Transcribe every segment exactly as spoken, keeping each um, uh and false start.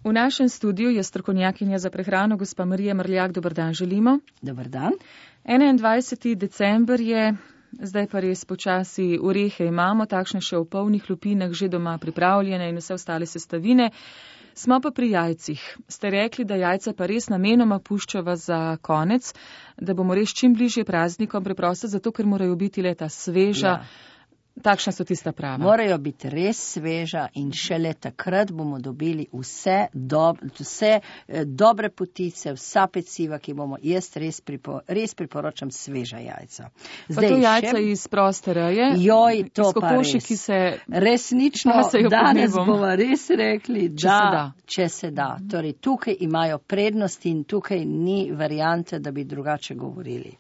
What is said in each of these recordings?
V našem studiu je strokovnjakinja za prehrano gospa Marija Mrljak. Dober dan želimo. Dober dan. enaindvajseti december je, zdaj pa res počasi orehe imamo, takšne še v polnih lupinah, že doma pripravljene in vse ostale sestavine. Smo pa pri jajcih. Ste rekli, da jajca pa res namenoma puščava za konec, da bomo res čim bližje praznikom, preprosto zato, ker morajo biti leta sveža. Ja. Takšna so tista prava. Morajo biti res sveža in šele takrat bomo dobili vse, do, vse dobre potice, vsa peciva, ki bomo. Jaz res, pripo, res priporočam sveža jajca. Zdaj, pa to jajca še... iz proste reje? Joj, to iz kokoši, pa res. Ki se... Resnično, danes bomo res rekli, če da, se da. Če se da. Torej, tukaj imajo prednosti in tukaj ni variante, da bi drugače govorili.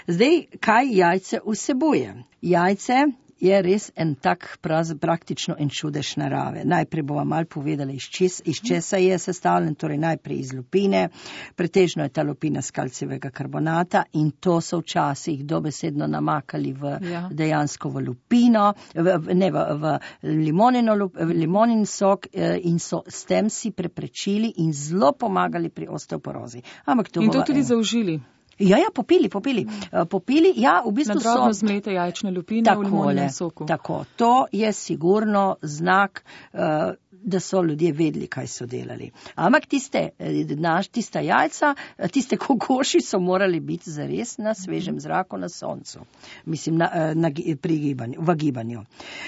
Zdaj, kaj jajce vsebuje? Jajce je res en tak praz, praktično en čudež narave. Najprej bova malo povedala, iz, čes, iz česa je sestavljen, torej najprej iz lupine, pretežno je ta lupina s kalcijevega karbonata in to so včasih dobesedno namakali v ja. dejansko v lupino, v, ne v, v limonino, limonin sok in so s tem si preprečili in zelo pomagali pri osteoporozi. Ampak to in to bova, tudi en... zaužili. Ja, ja, popili, popili. Popili, ja, v bistvu so... Na drobno zmlete jajčne lupine v limoninem soku. Tako, to je sigurno znak, uh, da so ljudje vedeli, kaj so delali. Ampak tiste, naš, tista jajca, tiste kokoši so morali biti zares na svežem zraku na soncu. Mislim, na, na, pri gibanju, v gibanju.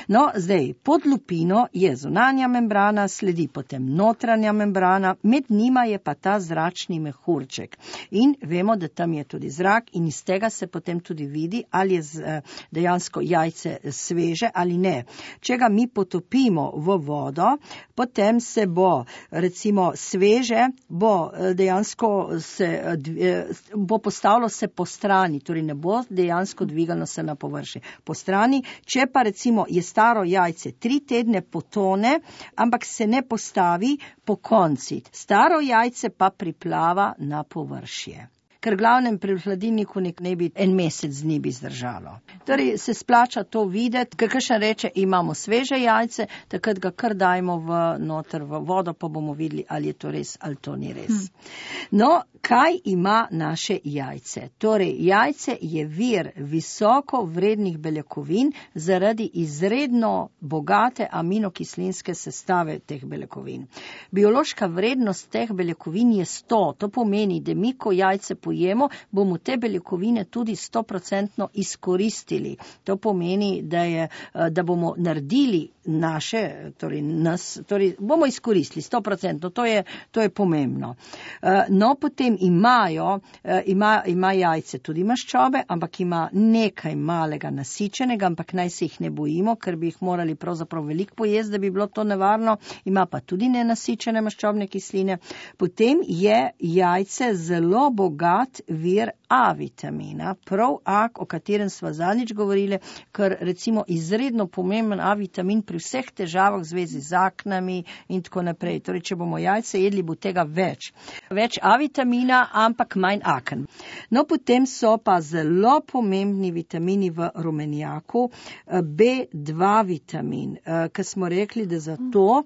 No, zdaj, pod lupino je zunanja membrana, sledi potem notranja membrana, med njima je pa ta zračni mehurček. In vemo, da tam je tudi zrak in iz tega se potem tudi vidi, ali je z, dejansko jajce sveže ali ne. Če ga mi potopimo v vodo, potem se bo, recimo, sveže, bo dejansko se, bo postavilo se po strani, torej ne bo dejansko dvigalo se na površje. Po strani, če pa recimo je staro jajce tri tedne potone, ampak se ne postavi po konci. Staro jajce pa priplava na površje. Ker glavnem pri hladilniku nek ne bi en mesec dni bi zdržalo. Torej se splača to videti, ker kakšen reče, imamo sveže jajce, takrat ga kar dajmo v noter v vodo, pa bomo videli, ali je to res, ali to ni res. Hmm. No, kaj ima naše jajce? Torej, jajce je vir visoko vrednih beljakovin zaradi izredno bogate aminokislinske sestave teh beljakovin. Biološka vrednost teh beljakovin je sto, to pomeni, da mi, ko jajce pojemo, bomo te beljakovine tudi stoprocentno izkoristili. To pomeni, da, je, da bomo naredili naše, torej nas, torej bomo izkoristili stoprocentno, to je, to je pomembno. No, potem imajo, ima, ima jajce tudi maščobe, ampak ima nekaj malega nasičenega, ampak naj se jih ne bojimo, ker bi jih morali pravzaprav veliko pojesti, da bi bilo to nevarno. Ima pa tudi nenasičene maščobne kisline. Potem je jajce zelo bogat vir A vitamina, prav A, o katerem sva zadnjič govorili, ker recimo izredno pomemben A vitamin pri vseh težavah v zvezi z aknami in tako naprej. Torej, če bomo jajce jedli, bo tega več. Več A vitamina, ampak manj aken. No, potem so pa zelo pomembni vitamini v rumenjaku, B dva vitamin, ker smo rekli, da zato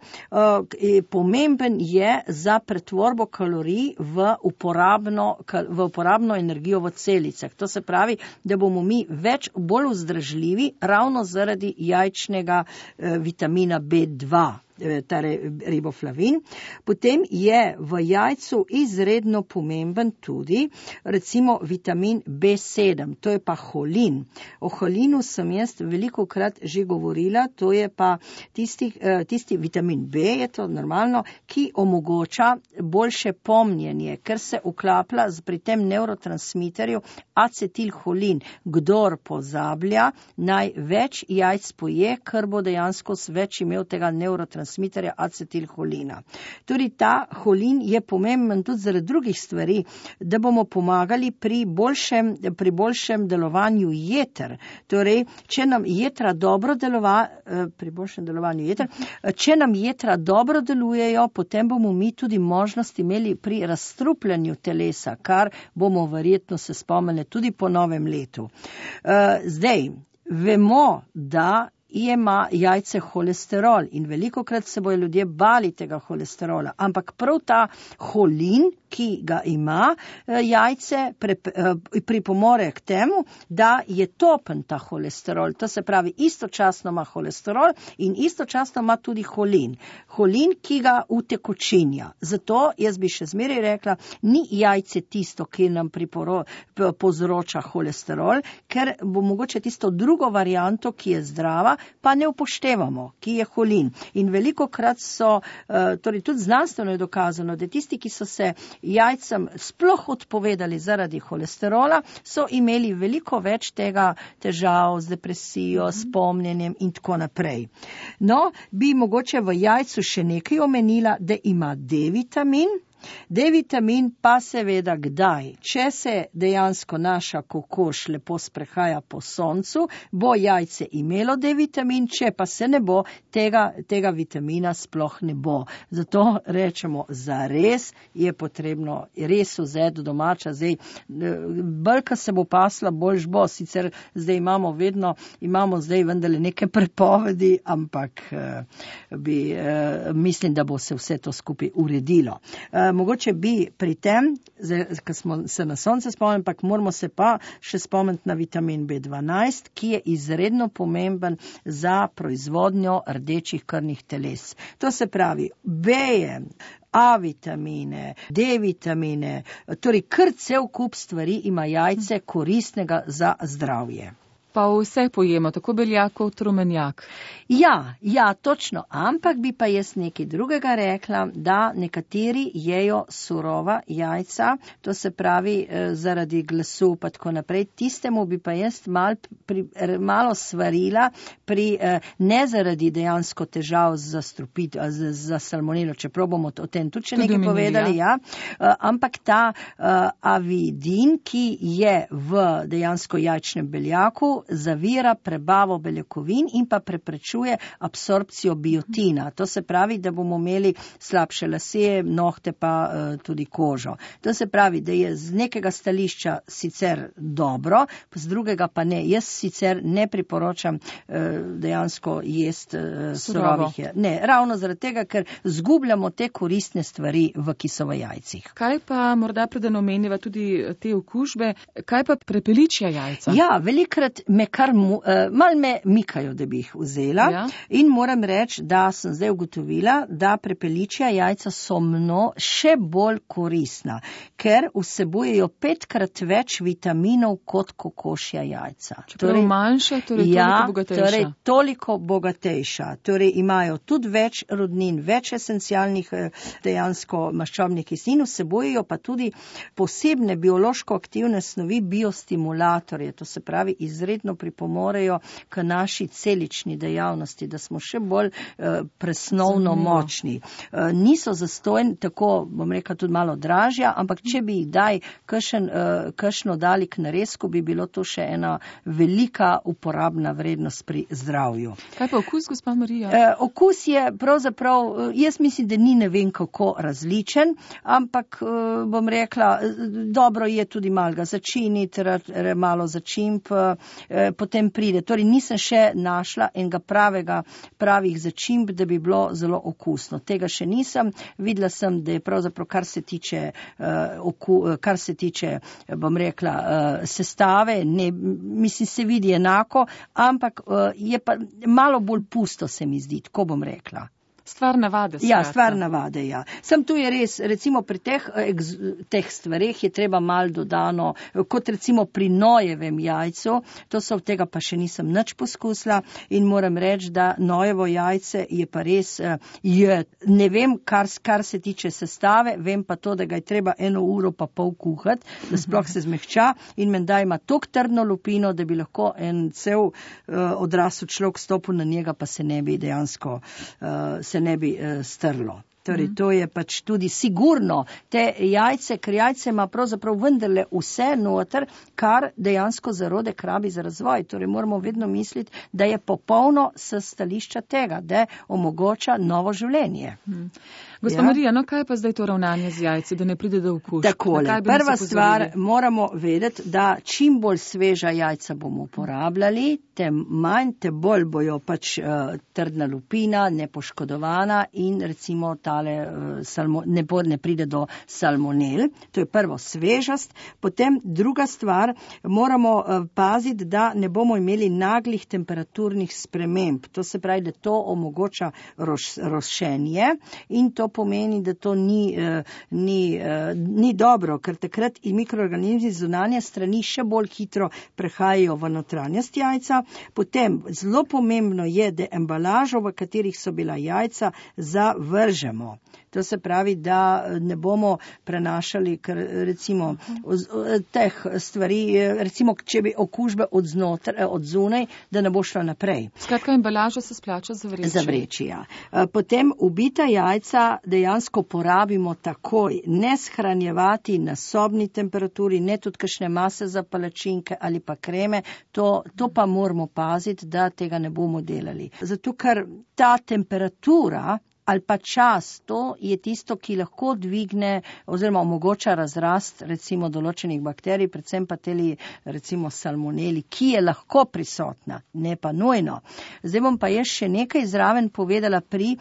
pomemben je za pretvorbo kalorij v uporabno, v uporabno energijo v celicah. To se pravi, da bomo mi več, bolj vzdržljivi ravno zaradi jajčnega eh, vitamina B dva. Torej riboflavin. Potem je v jajcu izredno pomemben tudi recimo vitamin B sedem, to je pa holin. O holinu sem jaz veliko krat že govorila, to je pa tisti, tisti vitamin B, je to normalno, ki omogoča boljše pomnjenje, ker se uklaplja pri tem nevrotransmiterju acetilholin. Kdor pozablja, naj več jajc poje, ker bo dejansko več imel tega nevrotransmiterja transmiterja acetilholina. Torej, ta holin je pomemben tudi zaradi drugih stvari, da bomo pomagali pri boljšem, pri boljšem delovanju jeter. Torej, če nam jetra dobro delova, pri boljšem delovanju jeter, če nam jetra dobro delujejo, potem bomo mi tudi možnost imeli pri razstrupljanju telesa, kar bomo verjetno se spomnili tudi po novem letu. Zdaj, vemo, da ima jajce holesterol in velikokrat se bojo ljudje bali tega holesterola, ampak prav ta holin, ki ga ima jajce, pripomore k temu, da je topen ta holesterol. To se pravi, istočasno ima holesterol in istočasno ima tudi holin. Holin, ki ga utekočinja. Zato jaz bi še zmeraj rekla, ni jajce tisto, ki nam priporo, povzroča holesterol, ker bo mogoče tisto drugo varianto, ki je zdrava, pa ne upoštevamo, ki je holin. In velikokrat so, torej tudi znanstveno je dokazano, da tisti, ki so se jajcem sploh odpovedali zaradi holesterola, so imeli veliko več tega težav z depresijo, s pomnjenjem in tako naprej. No, bi mogoče v jajcu še nekaj omenila, da ima D-vitamin. D-vitamin pa seveda kdaj? Če se dejansko naša kokoš lepo sprehaja po soncu, bo jajce imelo D-vitamin, če pa se ne bo, tega, tega vitamina sploh ne bo. Zato rečemo, zares je potrebno res vzeti domača. Zdaj, bolj, se bo pasla, boljš bo. Sicer zdaj imamo vedno, imamo zdaj vendarle neke prepovedi, ampak bi, mislim, da bo se vse to skupaj uredilo. Mogoče bi pri tem, ko smo se na sonce spomnili, ampak moramo se pa še spomniti na vitamin B dvanajst, ki je izredno pomemben za proizvodnjo rdečih krvnih teles. To se pravi, B-je, A vitamine, D vitamine, torej kar cel kup stvari ima jajce koristnega za zdravje. Pa vse pojemo, tako beljak kot rumenjak. Ja, ja, točno, ampak bi pa jaz nekaj drugega rekla, da nekateri jejo surova jajca, to se pravi zaradi glasu pa tako naprej, tistemu bi pa jaz mal, pri, malo svarila, pri, ne zaradi dejansko težav za strupit, za, za salmonelo, čeprav bomo o tem tudi še nekaj povedali, ja. Ja, ampak ta uh, avidin, ki je v dejansko jajčnem beljaku, zavira prebavo beljakovin in pa preprečuje absorpcijo biotina. To se pravi, da bomo imeli slabše lase, nohte pa uh, tudi kožo. To se pravi, da je z nekega stališča sicer dobro, z drugega pa ne. Jaz sicer ne priporočam uh, dejansko jest uh, surovih. Ne, ravno zaradi tega, ker zgubljamo te koristne stvari v kisovo jajcih. Kaj pa morda preden omeniva tudi te okužbe, kaj pa prepeličja jajca? Ja, velikrat me kar mu, uh, mal me mikajo, da bi jih vzela, ja. In moram reči, da sem zdaj ugotovila, da prepeličja jajca so mno še bolj koristna, ker vsebujejo petkrat več vitaminov kot kokošja jajca. Čeprav torej, manjša, torej ja, toliko bogatejša. Torej toliko bogatejša. Torej imajo tudi več rodnin, več esencialnih dejansko maščobnih kislin, vsebujejo pa tudi posebne biološko aktivne snovi, biostimulatorje, to se pravi izredno pripomorejo k naši celični dejavnosti, da smo še bolj uh, presnovno Zanimivo. močni. Uh, niso zastojni, tako bom rekla tudi malo dražja, ampak če bi jih daj kakšen, uh, kakšno dali k naresku, bi bilo to še ena velika uporabna vrednost pri zdravju. Kaj pa okus, gospa Marija? Uh, okus je pravzaprav, uh, jaz mislim, da ni ne vem kako različen, ampak uh, bom rekla, dobro je tudi malo ga začiniti, malo začimp, uh, potem pride. Torej nisem še našla enega pravega, pravih začimb, da bi bilo zelo okusno. Tega še nisem. Videla sem, da je pravzaprav, kar se tiče, uh, oku, kar se tiče, bom rekla, uh, sestave, ne, mislim, se vidi enako, ampak uh, je pa malo bolj pusto, se mi zdi, tako bom rekla. Stvar navade. Ja, stvar navade, ja. Sem tu je res, recimo pri teh, teh stvareh je treba mal dodano, kot recimo pri nojevem jajcu, to so od tega pa še nisem nič poskusila in moram reči, da nojevo jajce je pa res, je, ne vem, kar, kar se tiče sestave, vem pa to, da ga je treba eno uro pa pol kuhati, da sploh se zmehča in menda ima tok trdno lupino, da bi lahko en cel uh, odrasel človek stopil na njega, pa se ne bi dejansko uh, se ne bi uh, strlo. Torej, to je pač tudi sigurno. Te jajce, ker jajce ima pravzaprav vendarle vse noter, kar dejansko zarodek rabi za razvoj. Torej, moramo vedno misliti, da je popolno s stališča tega, da omogoča novo življenje. Hmm. Gospa ja? Marija, no kaj pa zdaj to ravnanje z jajci, da ne pride do okužb? Takole, prva stvar, moramo vedeti, da čim bolj sveža jajca bomo uporabljali, tem manj, te bolj bojo pač uh, trdna lupina, nepoškodovana in recimo tale uh, salmo, ne, bo, ne pride do salmonel. To je prvo svežast. Potem druga stvar, moramo uh, paziti, da ne bomo imeli naglih temperaturnih sprememb. To se pravi, da to omogoča roš, rošenje in to pomeni, da to ni, uh, ni, uh, ni dobro, ker takrat in mikroorganizmi zunanje strani še bolj hitro prehajajo v notranjost jajca. Potem zelo pomembno je, da embalažo, v katerih so bila jajca, zavržemo. To se pravi, da ne bomo prenašali ker, recimo teh stvari, recimo če bi okužbe od, znotr, od zunaj, da ne bo šla naprej. Skratka, embalaža se splača zavreči. Zavreči, ja. Potem ubita jajca dejansko porabimo takoj, ne shranjevati na sobni temperaturi, ne tudi kakšne mase za palačinke ali pa kreme, to, to pa moramo paziti, da tega ne bomo delali. Zato, ker ta temperatura ali pa čas, to je tisto, ki lahko dvigne oziroma omogoča razrast recimo določenih bakterij, predvsem pa teli recimo salmoneli, ki je lahko prisotna, ne pa nujno. Zdaj bom pa jaz še nekaj zraven povedala pri,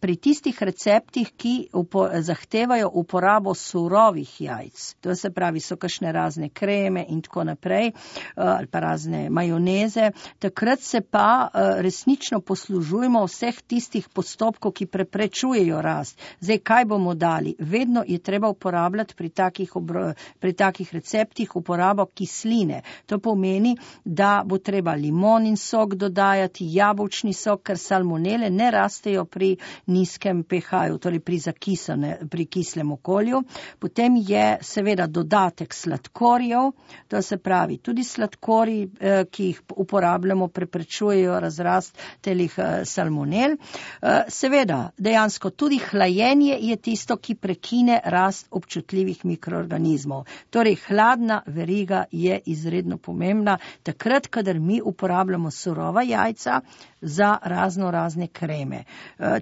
pri tistih receptih, ki upo, zahtevajo uporabo surovih jajc. To se pravi, so kakšne razne kreme in tako naprej, ali pa razne majoneze. Takrat se pa resnično poslužujemo vseh tistih postopkov, ki pre prečujejo rast. Zdaj, kaj bomo dali? Vedno je treba uporabljati pri takih, obro, pri takih receptih uporabo kisline. To pomeni, da bo treba limonin sok dodajati, jabolčni sok, ker salmonele ne rastejo pri nizkem pH-ju, torej pri zakisane, pri kislem okolju. Potem je seveda dodatek sladkorjev, to se pravi, tudi sladkorji, eh, ki jih uporabljamo, preprečujejo razrast telih eh, salmonel. Eh, seveda, dejansko tudi hlajenje je tisto, ki prekine rast občutljivih mikroorganizmov. Torej, hladna veriga je izredno pomembna, takrat, kadar mi uporabljamo surova jajca za razno razne kreme.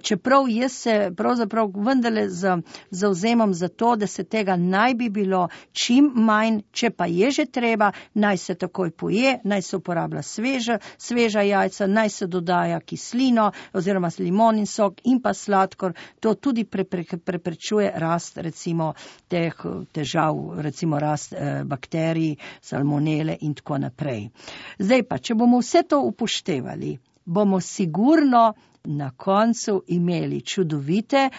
Čeprav jaz se pravzaprav vendarle zavzemam za to, da se tega naj bi bilo čim manj, če pa je že treba, naj se takoj poje, naj se uporablja sveža, sveža jajca, naj se dodaja kislino oziroma limonin sok in pa sladkor, to tudi preprečuje rast recimo teh težav, recimo rast eh, bakterij, salmonele in tako naprej. Zdaj pa, če bomo vse to upoštevali, bomo sigurno na koncu imeli čudovite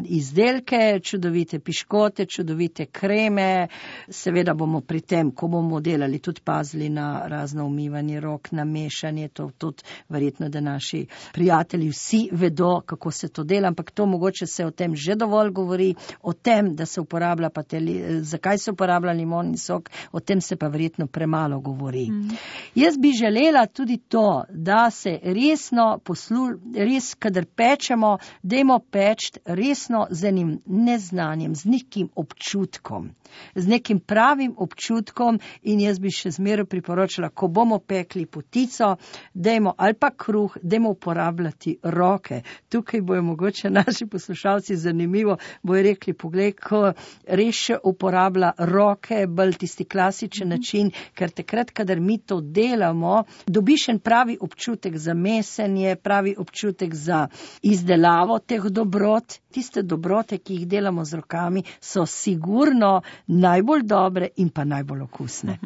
izdelke, čudovite piškote, čudovite kreme. Seveda bomo pri tem, ko bomo delali, tudi pazili na razno umivanje rok, na mešanje, to tudi verjetno, da naši prijatelji vsi vedo, kako se to dela, ampak to mogoče se o tem že dovolj govori, o tem, da se uporablja pa te, zakaj se uporablja limonin sok, o tem se pa verjetno premalo govori. Mm. Jaz bi želela tudi to, da se resno poslu, res, kadar pečemo, dajmo peči resno z enim neznanjem, z nekim občutkom, z nekim pravim občutkom in jaz bi še zmeraj priporočila, ko bomo pekli potico, dajmo ali pa kruh, dajmo uporabljati roke. Tukaj bojo mogoče naši poslušalci zanimivo, bojo rekli, poglej, ko res še uporablja roke, bolj tisti klasičen način, ker takrat, kadar mi to delamo, dobiš en pravi občutek za mesenje, pravi občutek za izdelavo teh dobrot. Tiste dobrote, ki jih delamo z rokami, so sigurno najbolj dobre in pa najbolj okusne.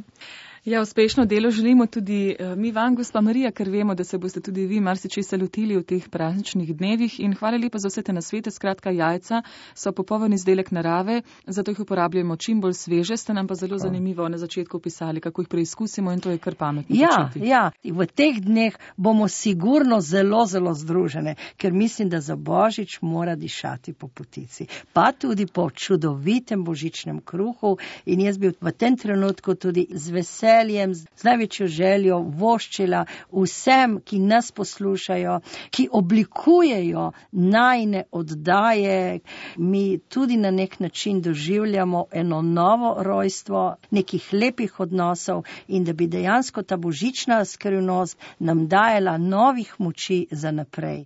Ja, uspešno delo želimo tudi mi vam, gospa Marija, ker vemo, da se boste tudi vi marsičesa lotili v teh prazničnih dnevih in hvala lepa za vse te nasvete. Skratka, jajca so popoln izdelek narave, zato jih uporabljamo čim bolj sveže. Ste nam pa zelo zanimivo na začetku opisali, kako jih preizkusimo in to je kar pametno. Ja, početi. ja, v teh dneh bomo sigurno zelo, zelo združene, ker mislim, da za Božič mora dišati po potici, pa tudi po čudovitem božičnem kruhu in jaz bi v tem trenutku tudi z veseljem veseljem, z največjo željo voščila vsem, ki nas poslušajo, ki oblikujejo najne oddaje. Mi tudi na nek način doživljamo eno novo rojstvo, nekih lepih odnosov in da bi dejansko ta božična skrivnost nam dajala novih moči za naprej.